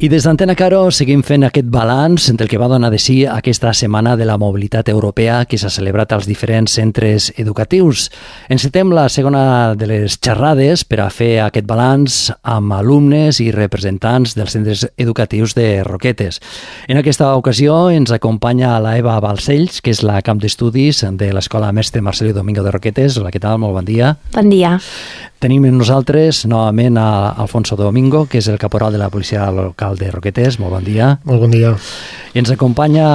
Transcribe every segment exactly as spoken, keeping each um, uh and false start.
I des d'Antena Caro seguim fent aquest balanç del que va donar de si aquesta Setmana de la Mobilitat Europea que s'ha celebrat als diferents centres educatius. Encetem la segona de les xerrades per a fer aquest balanç amb alumnes i representants dels centres educatius de Roquetes. En aquesta ocasió ens acompanya la Eva Balcells, que és la cap d'estudis de l'Escola Mestre Marcelí Domingo de Roquetes. Hola, què tal? Molt bon dia. Bon dia. Tenim amb nosaltres novament a Alfonso Domingo, que és el caporal de la policia local de Roquetes. Molt bon dia. Molt bon dia. I ens acompanya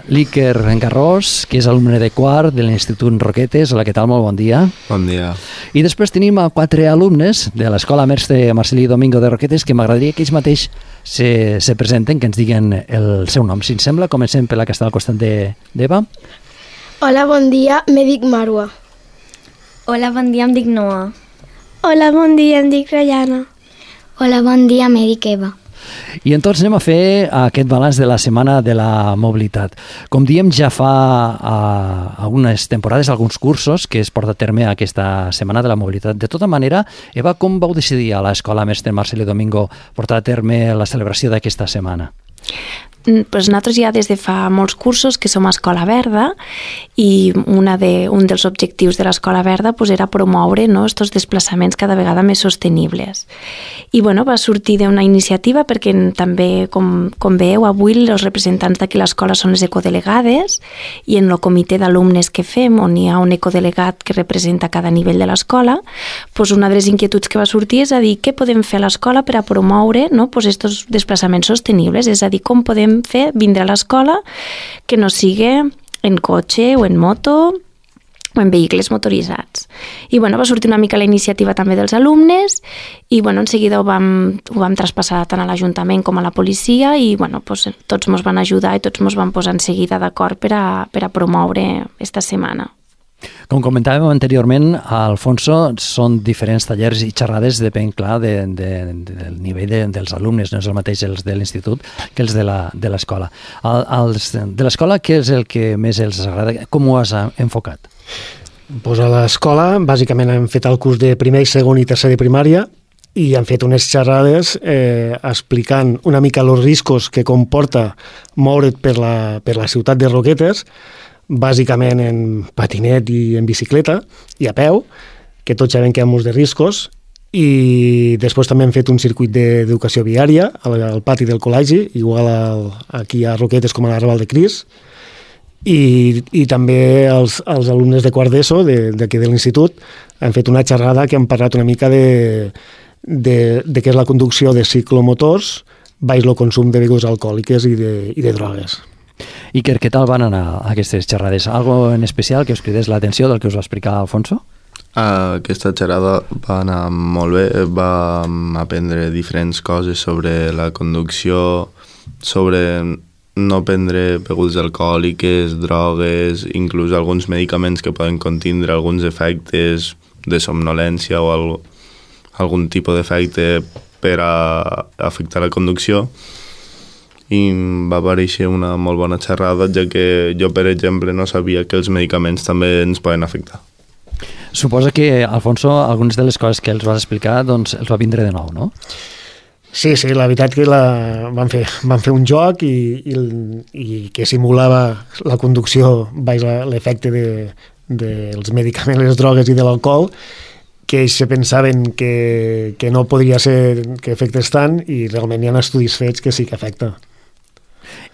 l'Iker Garrós, que és alumne de quart de l'Institut Roquetes. Hola, què tal? Molt bon dia. Bon dia. I després tenim a quatre alumnes de l'Escola Mestre Marcelí Domingo de Roquetes que m'agradaria que ells mateix se, se presenten, que ens diguen el seu nom. Si ens sembla, comencem per la que està al costat d'Eva. Hola, bon dia, me dic Marwa. Hola, bon dia, em dic Noa. Hola, bon dia, em dic Rayana. Hola, bon dia, me dic Eva. I entonces anem a fer aquest balanç de la Setmana de la Mobilitat. Com diem, ja fa uh, algunes temporades, alguns cursos que es porta a terme aquesta Setmana de la Mobilitat. De tota manera, Eva, com vau decidir a l'Escola Mestre Marcelí Domingo portar a terme la celebració d'aquesta setmana? Pues nosaltres ja des de fa molts cursos que som a Escola Verda i una de, un dels objectius de l'Escola Verda pues, era promoure no, estos desplaçaments cada vegada més sostenibles. I bueno, va sortir d'una iniciativa perquè també, com, com veieu, avui els representants d'aquí l'escola són les ecodelegades i en el comitè d'alumnes que fem, on hi ha un ecodelegat que representa cada nivell de l'escola, pues una de les inquietuds que va sortir és a dir què podem fer a l'escola per a promoure no, pues estos desplaçaments sostenibles, és a dir, com podem fer vindre a l'escola que no sigui en cotxe o en moto o en vehicles motoritzats. I bueno, va sortir una mica la iniciativa també dels alumnes i bueno, en seguida ho vam, ho vam traspassar tant a l'Ajuntament com a la policia i bueno, pues, tots ens van ajudar i tots ens van posar en seguida d'acord per a, per a promoure esta setmana. Com comentàvem anteriorment, Alfonso, són diferents tallers i xerrades, depèn, clar, de, de, de, del nivell de, dels alumnes, no és el mateix els de l'institut que els de l'escola. El, els de l'escola, què és el que més els agrada? Com ho has enfocat? Pues a l'escola, bàsicament, hem fet el curs de primer, segon i tercer de primària i han fet unes xerrades eh, explicant una mica els riscos que comporta moure't per la, per la ciutat de Roquetes, bàsicament en patinet i en bicicleta i a peu, que tots sabem que hi ha molts de riscos, i després també hem fet un circuit d'educació viària al, al pati del col·legi, igual al, aquí a Roquetes com a la Raval de Cris, i, i també els, els alumnes de quart d'ESO d'aquí de, de l'institut han fet una xerrada que han parlat una mica de, de, de què és la conducció de ciclomotors baix el consum de begudes alcohòliques i de, i de drogues. Iker, què tal van anar aquestes xerrades? Algo en especial que us cridés l'atenció del que us va explicar Alfonso? Uh, aquesta xerrada va anar molt bé, vam aprendre diferents coses sobre la conducció, sobre no prendre begudes alcohòliques, drogues, inclús alguns medicaments que poden contindre alguns efectes de somnolència o algo, algun tipus d'efecte per a afectar la conducció. I va aparèixer una molt bona xerrada, ja que jo, per exemple, no sabia que els medicaments també ens poden afectar. Suposa que, Alfonso, algunes de les coses que els vas explicar doncs, els va vindre de nou, no? Sí, sí, la veritat que la, van, fer, van fer un joc i, i, i que simulava la conducció baix l'efecte dels de, de medicaments, les drogues i de l'alcohol, que ells se pensaven que, que no podria ser que afectés tant i realment hi ha estudis fets que sí que afecta.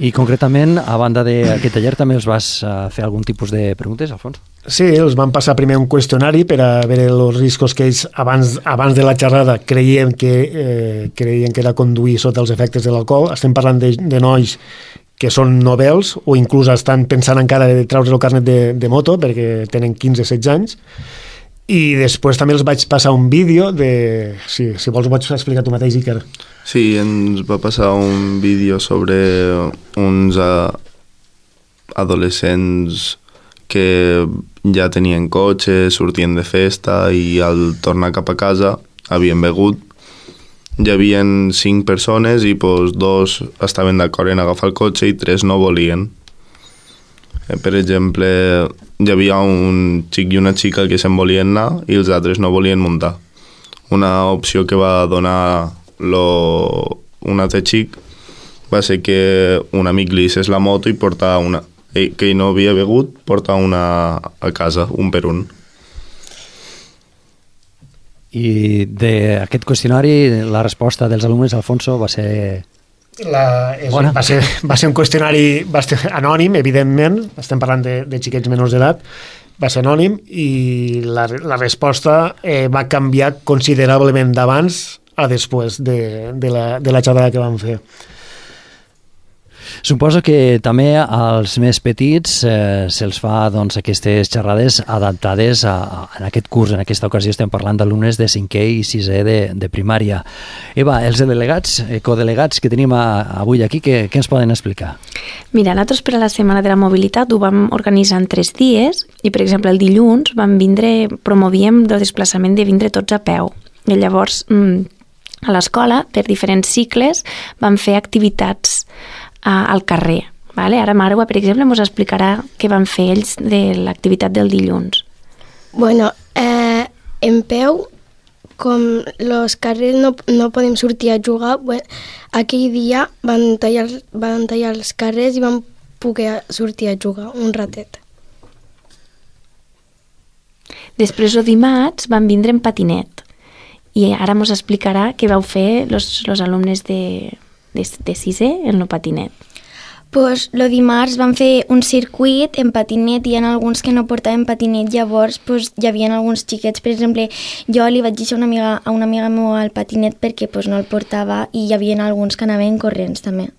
I concretament, a banda d'aquest taller, també els vas fer algun tipus de preguntes, Alfonso? Sí, els van passar primer un qüestionari per a veure els riscos que ells abans, abans de la xerrada creien que, eh, creien que era conduir sota els efectes de l'alcohol. Estem parlant de, de nois que són novels o inclús estan pensant encara de treure el carnet de, de moto perquè tenen quinze o setze anys. I després també els vaig passar un vídeo de... Sí, si vols ho vaig explicar tu mateix, Iker. Sí, ens va passar un vídeo sobre uns uh, adolescents que ja tenien cotxe, sortien de festa i al tornar cap a casa havien begut. Hi havia cinc persones i pues, dos estaven d'acord en agafar el cotxe i tres no volien. Per exemple, hi havia un xic i una xica que se'n volien anar i els altres no volien muntar. Una opció que va donar lo, un altre xic va ser que un amic li hicés la moto i portava una... Ell, que ell no havia begut, portava una a casa, un per un. I d'aquest qüestionari, la resposta dels alumnes, Alfonso, va ser... La, és, Bona. va, ser, va ser un qüestionari bastant anònim, evidentment, estem parlant de, de xiquets menors d'edat, va ser anònim i la, la resposta eh, va canviar considerablement d'abans a després de, de, la, de la xerrada que vam fer. Suposo que també als més petits eh, se'ls fa doncs, aquestes xerrades adaptades a, a, en aquest curs. En aquesta ocasió estem parlant d'alumnes de cinquè i sisè de, de primària. Eva, els delegats, eh, codelegats que tenim a, avui aquí, què, què ens poden explicar? Mira, nosaltres per a la Setmana de la Mobilitat ho vam organitzar en tres dies i, per exemple, el dilluns vam vindre, promovíem el desplaçament de vindre tots a peu. I llavors, a l'escola, per diferents cicles, vam fer activitats al carrer. Vale? Ara Marwa, per exemple, ens explicarà què van fer ells de l'activitat del dilluns. Bueno, eh, en peu, com els carrers no, no podem sortir a jugar, bueno, aquell dia van tallar, van tallar els carrers i van poder sortir a jugar un ratet. Després, el dimarts, van vindre en patinet i ara ens explicarà què vau fer els alumnes de... de, de sisè en el patinet. Pues lo dimarts vam fer un circuit en patinet i hi ha alguns que no portaven patinet, llavors pues, hi havia alguns xiquets, per exemple, jo li vaig deixar una amiga, a una amiga meva el patinet perquè pues, no el portava i hi havia alguns que anaven corrents també.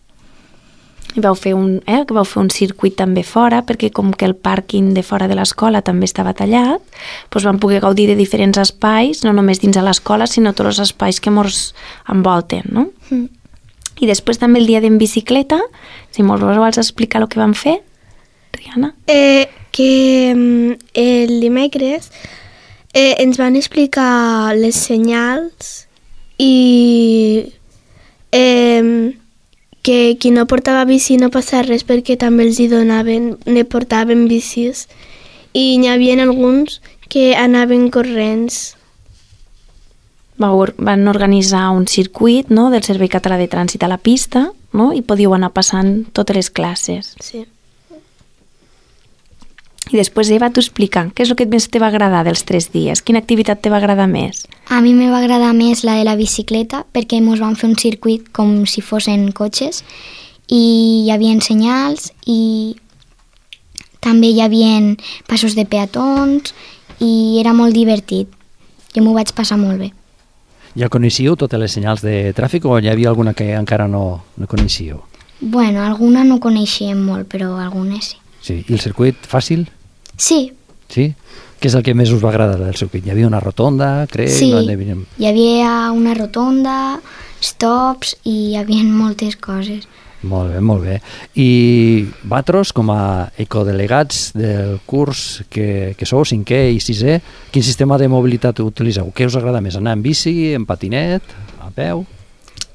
I vau fer un, eh, que vau fer un circuit també fora, perquè com que el pàrquing de fora de l'escola també estava tallat, doncs vam poder gaudir de diferents espais, no només dins de l'escola, sinó tots els espais que ens envolten, no? Mm. I després també el dia d'en bicicleta, si mos vols explicar el que vam fer, Rihanna? Eh, que el dimecres eh, ens van explicar les senyals i eh, que qui no portava bici no passava res perquè també els hi donaven, ne portaven bicis i n'hi havia alguns que anaven corrents. Van organitzar un circuit, no?, del Servei Català de Trànsit a la pista, no?, i podíeu anar passant totes les classes. Sí. I després, Eva, t'ho explica. Què és el que més te va agradar dels tres dies? Quina activitat te va agradar més? A mi me va agradar més la de la bicicleta perquè ens van fer un circuit com si fossin cotxes i hi havia senyals i també hi havia passos de peatons i era molt divertit. Jo m'ho vaig passar molt bé. Ja coneixíeu totes les senyals de tràfic o hi havia alguna que encara no, no coneixíeu? Bueno, alguna no coneixíem molt, però algunes sí. Sí, i el circuit fàcil? Sí. Sí? Què és el que més us va agradar del circuit? Hi havia una rotonda, crec? Sí, no? hi havia una rotonda, stops i hi havia moltes coses. Molt bé, molt bé. I vosaltres, com a ecodelegats del curs que, que sou, cinquè i sisè, quin sistema de mobilitat utilitzeu? Què us agrada més, anar en bici, en patinet, a peu?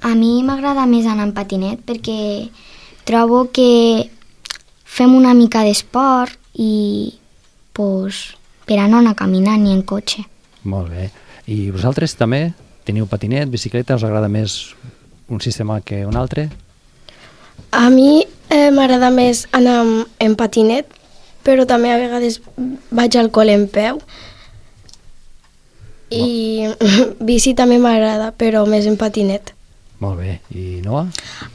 A mi m'agrada més anar en patinet perquè trobo que fem una mica d'esport i pues, per a no anar caminant ni en cotxe. Molt bé. I vosaltres també teniu patinet, bicicleta? Us agrada més un sistema que un altre? A mi eh, m'agrada més anar en patinet, però també a vegades vaig al col·le en peu. I bici també m'agrada, però més en patinet. Molt bé. I Noa?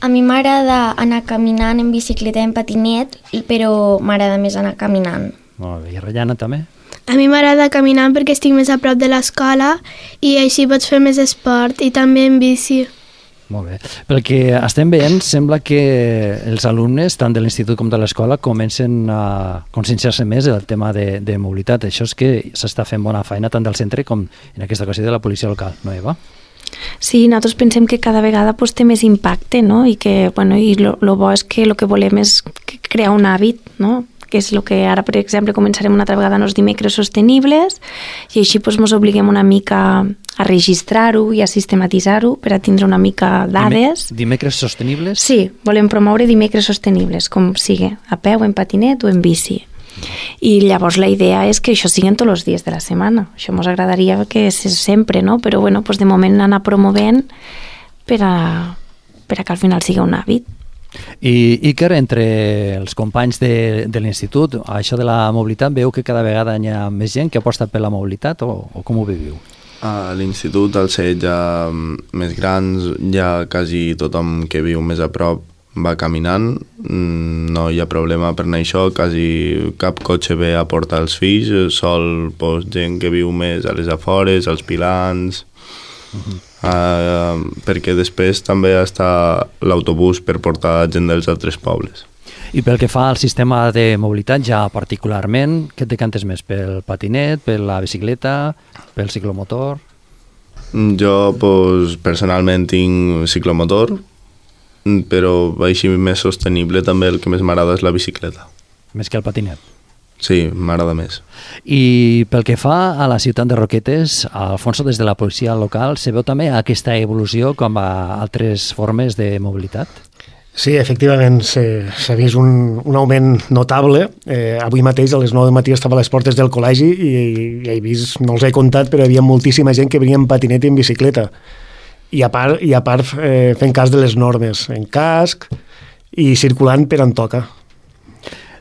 A mi m'agrada anar caminant en bicicleta en patinet, però m'agrada més anar caminant. Molt bé. I Rayana també? A mi m'agrada caminar perquè estic més a prop de l'escola i així pots fer més esport i també en bici. Molt bé. Pel que estem veient, sembla que els alumnes, tant de l'institut com de l'escola, comencen a conscienciar-se més del tema de, de mobilitat. Això és que s'està fent bona feina tant del centre com en aquesta ocasió de la policia local, no, Eva? Sí, nosaltres pensem que cada vegada pues, té més impacte, no? I que, bueno, i lo, lo bo és que el que volem és crear un hàbit, no? Que és el que ara, per exemple, començarem una altra vegada en els dimecres sostenibles i així doncs, ens obliguem una mica a registrar-ho i a sistematitzar-ho per a tindre una mica dades. Dimecres sostenibles? Sí, volem promoure dimecres sostenibles, com sigui, a peu, en patinet o en bici. I llavors la idea és que això siguin tots els dies de la setmana. Això ens agradaria que és sempre, no? Però bueno, doncs de moment anar promovent per a, per a que al final sigui un hàbit. I Iker, entre els companys de, de l'institut, això de la mobilitat, veu que cada vegada hi ha més gent que aposta per la mobilitat o, o com ho viviu? A l'institut, al ser ja més grans, ja quasi tothom que viu més a prop va caminant, no hi ha problema per anar això, quasi cap cotxe ve a portar els fills, sol pues, gent que viu més a les afores, als pilans, uh-huh. uh, perquè després també està l'autobús per portar gent dels altres pobles. I pel que fa al sistema de mobilitat, ja particularment, què et decantes més? Pel patinet, per la bicicleta, pel ciclomotor? Jo, pues, personalment, tinc ciclomotor, però així més sostenible també el que més m'agrada és la bicicleta. Més que el patinet? Sí, m'agrada més. I pel que fa a la ciutat de Roquetes, Alfonso, des de la policia local, se veu també aquesta evolució com a altres formes de mobilitat? Sí, efectivament, s'ha vist un, un augment notable. Eh, avui mateix a les nou del matí estava a les portes del col·legi i, i he vist, no els he comptat, però hi havia moltíssima gent que venia en patinet i en bicicleta. I a part, i a part eh, fent cas de les normes, en casc i circulant per on toca.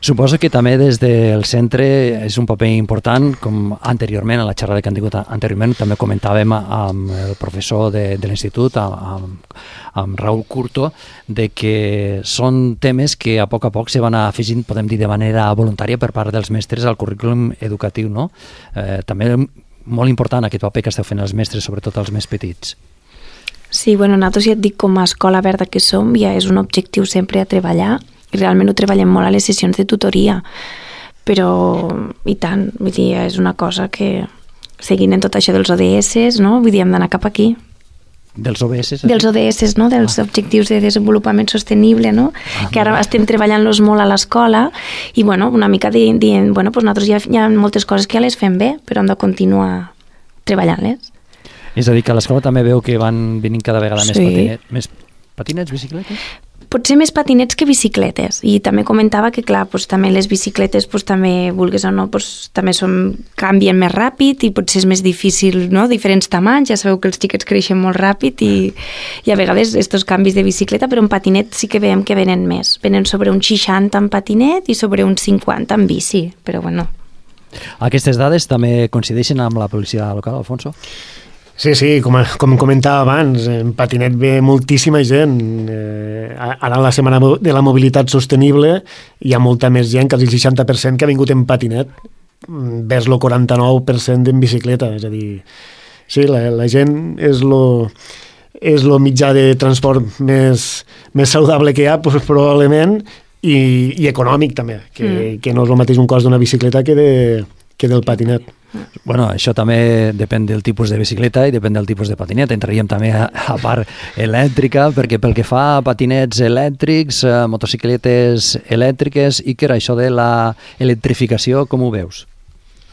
Suposo que també des del centre és un paper important, com anteriorment, a la xerrada que han tingut anteriorment, també comentàvem amb el professor de, de l'institut, amb, amb Raúl Curto, de que són temes que a poc a poc se van afegint, podem dir, de manera voluntària per part dels mestres al currículum educatiu, no? Eh, també molt important aquest paper que esteu fent els mestres, sobretot els més petits. Sí, bueno, nosaltres ja et dic, com a escola verda que som, ja és un objectiu sempre a treballar, i realment ho treballem molt a les sessions de tutoria, però i tant, vull dir, és una cosa que seguint en tot això dels O D S, no? Vull dir, hem d'anar cap aquí. Dels O B S? Dels O D S, no? Dels ah. Objectius de Desenvolupament Sostenible, no? Ah, que ara estem treballant-los molt a l'escola i, bueno, una mica dient, dient bueno, doncs nosaltres ja hi ha moltes coses que ja les fem bé, però hem de continuar treballant-les. És a dir, que a l'escola també veu que van venint cada vegada sí. més, patinet, més patinets, bicicletes? Potser més patinets que bicicletes. I també comentava que, clar, doncs, també les bicicletes doncs, també, vulguis o no, doncs, també són, canvien més ràpid i potser és més difícil, no? Diferents tamanys, ja sabeu que els xiquets creixen molt ràpid i, i a vegades estos canvis de bicicleta, però en patinet sí que veiem que venen més. Venen sobre un seixanta en patinet i sobre un cinquanta en bici, però bueno. Aquestes dades també coincideixen amb la policia local, Alfonso? Sí, sí, com, com comentava abans, en patinet ve moltíssima gent. Eh, ara en la Setmana de la Mobilitat Sostenible hi ha molta més gent, quasi el seixanta per cent que ha vingut en patinet, vers el quaranta-nou per cent en bicicleta. És a dir, sí, la, la gent és lo, és lo mitjà de transport més, més saludable que hi ha, pues, probablement, i, i econòmic també, que, mm. que no és el mateix un cost d'una bicicleta que, de, que del patinet. Bueno, això també depèn del tipus de bicicleta i depèn del tipus de patinet. Entraríem també a, a part elèctrica, perquè pel que fa a patinets elèctrics, a motocicletes elèctriques, i que era això de la electrificació, com ho veus?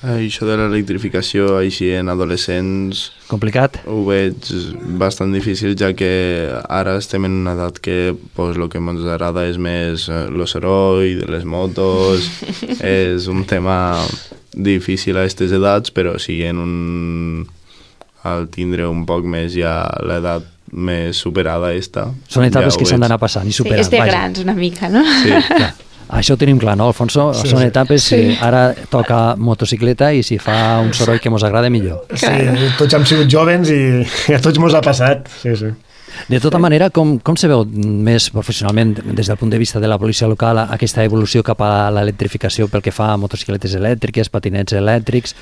Això de l'electrificació així en adolescents... Complicat? Ho veig bastant difícil, ja que ara estem en una edat que pues, el que ens agrada és més el soroll de les motos, és un tema difícil a aquestes edats, però si en un... al tindre un poc més ja l'edat més superada esta... Són etapes ja que s'han d'anar passant i superant. Sí, és de vaja. Grans una mica, no? Sí, clar. Això ho tenim clar, no, Alfonso? Sí, Són sí. etapes sí. que ara toca motocicleta i si fa un soroll que mos agrada, millor. Sí, tots hem sigut jovens i a tots mos ha passat. Sí, sí. De tota manera, com, com se veu més professionalment des del punt de vista de la policia local aquesta evolució cap a l'electrificació pel que fa a motocicletes elèctriques, patinets elèctrics?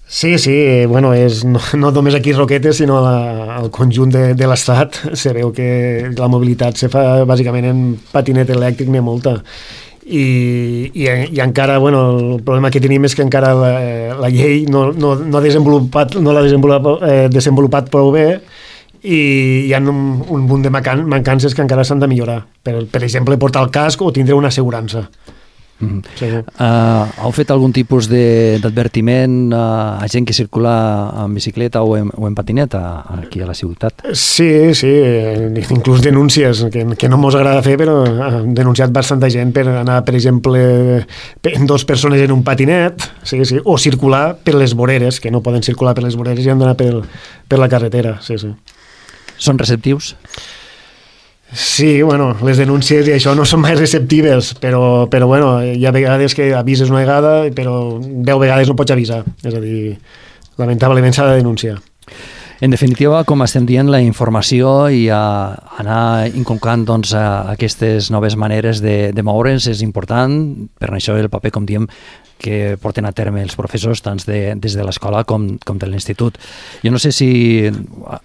Sí, sí, bueno, és no, no només aquí a Roquetes, sinó la, al conjunt de, de l'Estat. Se veu que la mobilitat se fa bàsicament en patinet elèctric, n'hi ha molta. I, i, i encara, bueno, el problema que tenim és que encara la, la llei no, no, no, desenvolupat, no l'ha desenvolupat, eh, desenvolupat prou bé i hi ha un, un munt de mancances que encara s'han de millorar. Per, per exemple, portar el casc o tindre una assegurança. Mm. Sí. Uh, heu fet algun tipus d'advertiment uh, a gent que circula en bicicleta o en, o en patineta aquí a la ciutat? Sí, sí, inclús denúncies que, que no mos agrada fer, però han denunciat bastanta gent per anar, per exemple, en dos persones en un patinet, sí, sí, o circular per les voreres, que no poden circular per les voreres i han d'anar per, per la carretera. Sí, sí. Són receptius? Sí, bueno, les denúncies i això no són mai receptives, però, però bueno, hi ha vegades que avises una vegada, però deu vegades no pots avisar. És a dir, lamentablement s'ha de denunciar. En definitiva, com estem dient, la informació i a anar inculcant doncs, aquestes noves maneres de, de moure's és important. Per això el paper, com diem, que porten a terme els professors tant de, des de l'escola com, com de l'institut. Jo no sé si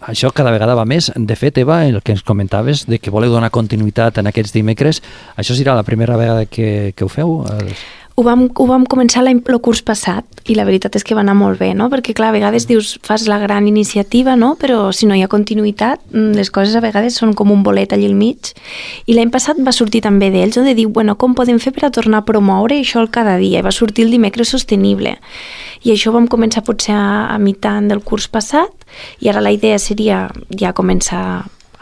això cada vegada va més. De fet, Eva, el que ens comentaves de que voleu donar continuïtat en aquests dimecres, això serà la primera vegada que, que ho feu? Ho vam, ho vam començar l'any, el curs passat i la veritat és que va anar molt bé, no? Perquè clar, a vegades dius, fas la gran iniciativa, no? Però si no hi ha continuïtat, les coses a vegades són com un bolet allà al mig. I l'any passat va sortir també d'ells, no? De dir, bueno, com podem fer per a tornar a promoure això el cada dia? I va sortir el dimecres sostenible. I això vam començar potser a, a mitant del curs passat i ara la idea seria ja començar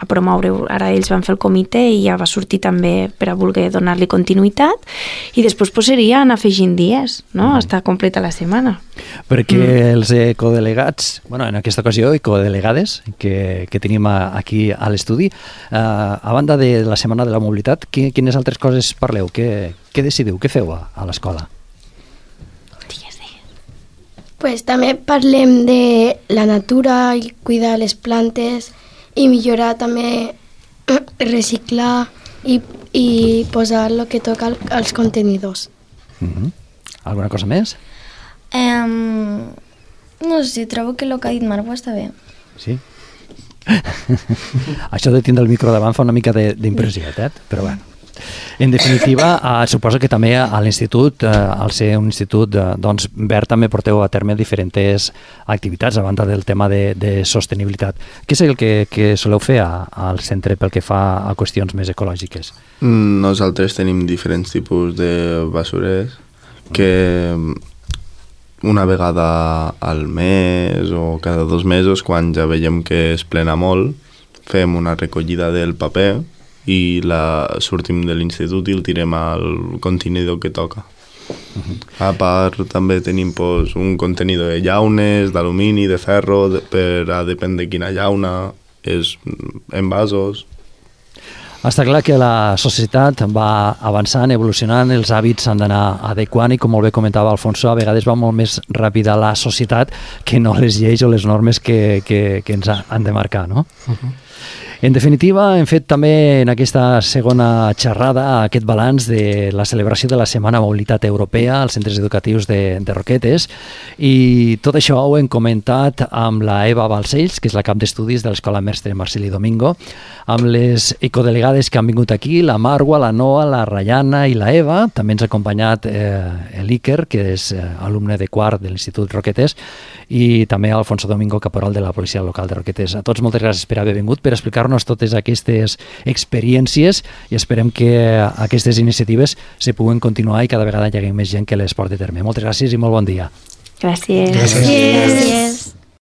a promoure, ara ells van fer el comitè i ja va sortir també per a voler donar-li continuïtat i després pues, seria anar afegint dies, no? Mm. Està completa la setmana. Perquè mm. els ecodelegats, bueno, en aquesta ocasió ecodelegades que, que tenim a, aquí a l'estudi, eh, a banda de la Setmana de la Mobilitat, qui, quines altres coses parleu? Què, què decidiu? Què feu a, a l'escola? Pues també parlem de la natura i cuidar les plantes i millorar també, reciclar i, i posar el que toca als contenidors. Mm-hmm. Alguna cosa més? Um, no sé, trobo que el que ha dit Margo està bé. Sí? Això de tindre el micro davant fa una mica d'impressió, eh? Però bueno. En definitiva, eh, suposo que també a l'institut, eh, al ser un institut eh, doncs, verd, també porteu a terme diferents activitats a banda del tema de, de sostenibilitat. Què és el que, que soleu fer a, al centre pel que fa a qüestions més ecològiques? Nosaltres tenim diferents tipus de basurers que una vegada al mes o cada dos mesos, quan ja veiem que es plena molt, fem una recollida del paper i la sortim de l'institut i el tirem al contenidor que toca. Uh-huh. A part també tenim pues, un contenidor de llaunes, d'alumini, de ferro, de, per a depèn de quina llauna, és envasos. Està clar que la societat va avançant, evolucionant, els hàbits s'han d'anar adequant i com molt bé comentava Alfonso, a vegades va molt més ràpida la societat que no les lleis o les normes que, que, que ens han de marcar, no? Uh-huh. En definitiva, hem fet també en aquesta segona xerrada aquest balanç de la celebració de la Setmana Mobilitat Europea als centres educatius de, de Roquetes i tot això ho hem comentat amb la Eva Balcells, que és la cap d'estudis de l'Escola Mestre Marceli Domingo, amb les ecodelegades que han vingut aquí, la Marwa, la Noa, la Rayana i la Eva. També ens ha acompanyat eh, l'Iker, que és eh, alumne de quart de l'Institut Roquetes, i també Alfonso Domingo, caporal de la Policia Local de Roquetes. A tots moltes gràcies per haver vingut, per explicar-nos totes aquestes experiències i esperem que aquestes iniciatives se puguen continuar i cada vegada hi hagi més gent que les porti a terme. Moltes gràcies i molt bon dia. Gràcies. Gràcies. Gràcies.